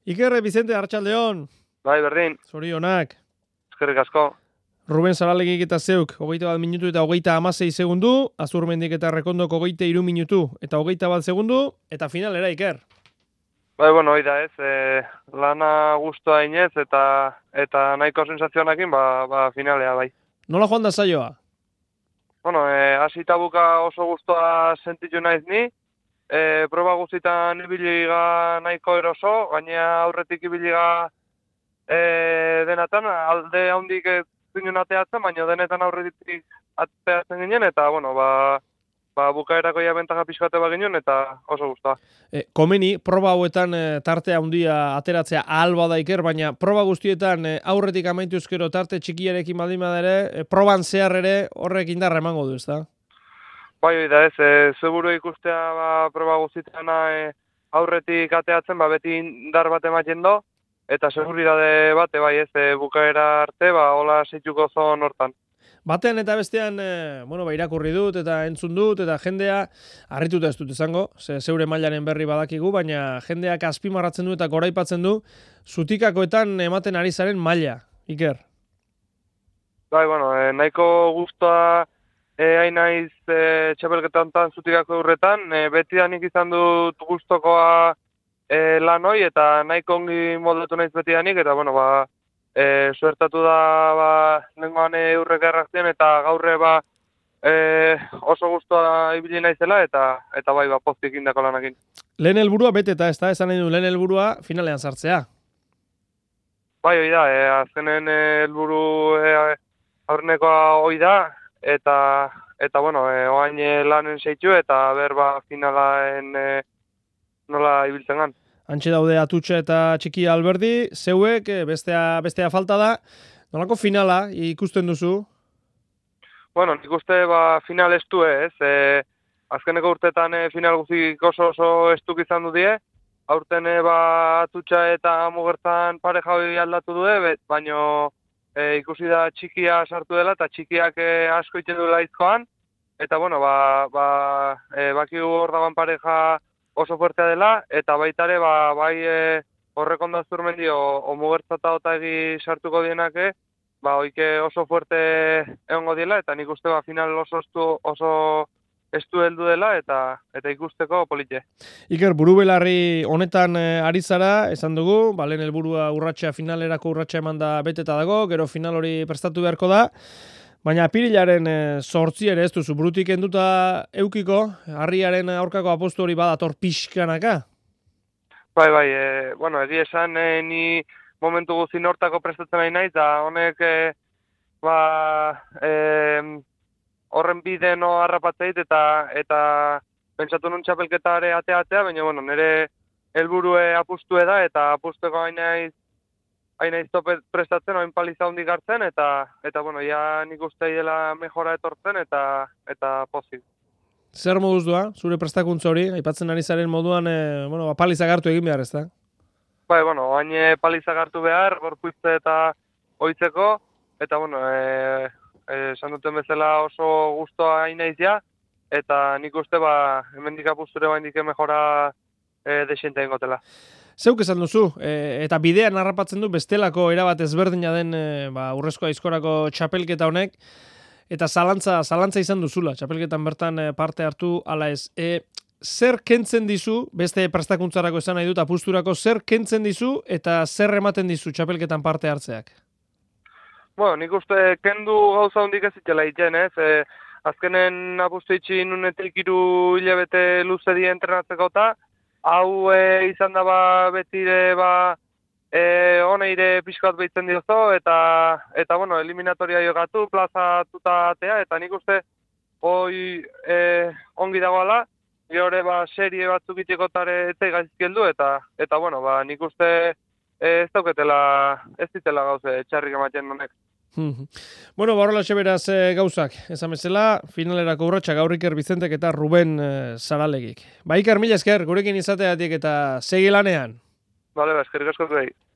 Iker Vicente Arratsaldeon. Bai, berdin. Zorionak. Eskerrik asko. Ruben Saralegik eta zeuk, 21 minutu eta 36 segundu, Azurmendik eta Rekondoko 23 minutu eta 21 segundu, eta finalera, Iker. Bai, bueno, hori da ez, lana guztua inez eta nahiko sensazioanekin, finalea, bai. Nola joan da saioa? Bueno, hasi buka oso guztua sentitu naiz ni, proba guztietan ibiliga nahiko eroso, gainea aurretik ibiliga denatan, alde handik ginen ateatzen, baina denetan aurretik ateatzen ginen, eta, bueno, bukaerako ja bentaja pixkate baginen, eta oso guztua. Komeni, proba hauetan tartea handia ateratzea ahal bada Iker, baina proba guztietan aurretik amaitu ezkero tarte txikiarekin baldin bada ere, proban zehar ere horrek indarra emango du, ezta? Bai, da ez, zeburu ikustea proba guztietan aurretik ateatzen, beti indar bat ematen do, eta seguridade bate, bai ez, bukaera arte, hola seituko zon hortan. Batean eta bestean, irakurri dut eta entzun dut, eta jendea, harrituta ez dut izango, zeure mailaren berri badakigu, baina jendeak azpimarratzen du eta goraipatzen du, zutikakoetan ematen ari zaren maila, Iker. Bai, nahiko guztua hain naiz txapelketa honetan zutikako urretan, beti da nik izan dut guztokoa lan hoi, eta nahiko ongi moldatu naiz beti da nik, eta suertatu da nengoan urrek errazien, eta gaurre oso guztua ibili naizela, eta pozik indako lanakin. Lehen helburua beteta, ez da, esan nahi du, lehen helburua finalean sartzea. Bai, hoi da, azkenen helburu aurrenekoa hoi da, eta oain lanen seitu, eta finalaen nola ibiltzen gan. Antxe daude Atutxa eta Txikia Alberdi, zeuek, bestea falta da. Nolako finala ikusten duzu? Bueno, nik uste final estu ez. Azkeneko urtetan final guzik oso estuk izan du die. Aurten Atutxa eta Mugertzan pareja hori aldatu du, baina ikusi da Txikia sartu dela, eta Txikiak asko iten duela izkoan. Eta, bakigu hor dagoen pareja oso fuertea dela, eta baitare, horrek ondo Azurmendi o Mugertza eta Otagi sartuko dienake, oike oso fuerte egongo diela, eta nik uste final oso estu heldu dela, eta ikusteko politxe. Iker, burubelarri honetan ari zara, esan dugu, lehen helburua finalerako urratsa eman da beteta dago, gero final hori prestatu beharko da, baina apirilaren 8 ere ez duzu, burutik enduta eukiko, harriaren aurkako apostu hori badator pixkanaka? Bai, egia esan, ni momentu guzin hortako prestatzen nahi naiz, da honek, horren bide no harrapatzeit, eta pentsatu nun txapelketare ateatzea, baina, nire helburue apustue da, eta apustueko hain naiz topet prestatzen, hain paliza hondik hartzen, eta ja nik uste dela mejora etortzen, eta pozik. Zer moduz doa, zure prestakuntza hori, aipatzen ari zaren moduan, paliza hartu egin behar, ez da? Bai, hain paliza hartu behar, gorpuizte eta oitzeko, eta, esan duten bezala oso guztua hain naiz ja, eta nik uste, hemendik apusture baindik mejora desiente ingotela. Zeuk esan duzu, eta bidean harrapatzen du bestelako erabat ezberdina den urrezko aizkorako txapelketa honek, eta zalantza izan duzula, txapelketan bertan parte hartu ala ez. Zer kentzen dizu, beste prestakuntzarako esan nahi dut, apusturako, zer kentzen dizu eta zer ematen dizu txapelketan parte hartzeak? Nik uste kendu gauza hondik ez itela iten, ez? Azkenen apustu itxin nunetik 3 hilabete luze die entrenatzeko eta, hau izan da betire honeire pixkat behitzen diozo, eta eliminatoria jogatu, plaza tutatea, eta nik uste hoi ongi dagoela, gehore serie batzuk itxeko tare etzai gaizkeldu, eta nik uste ez ditela gauze txarrik ematen honek. Horrela beraz gauzak, esan bezala, finalerako urratsa gaur Iker Vicentek eta Ruben Saralegik. Iker, mila esker, gurekin izateatik eta segi lanean. Bale, eskerrik asko zuei.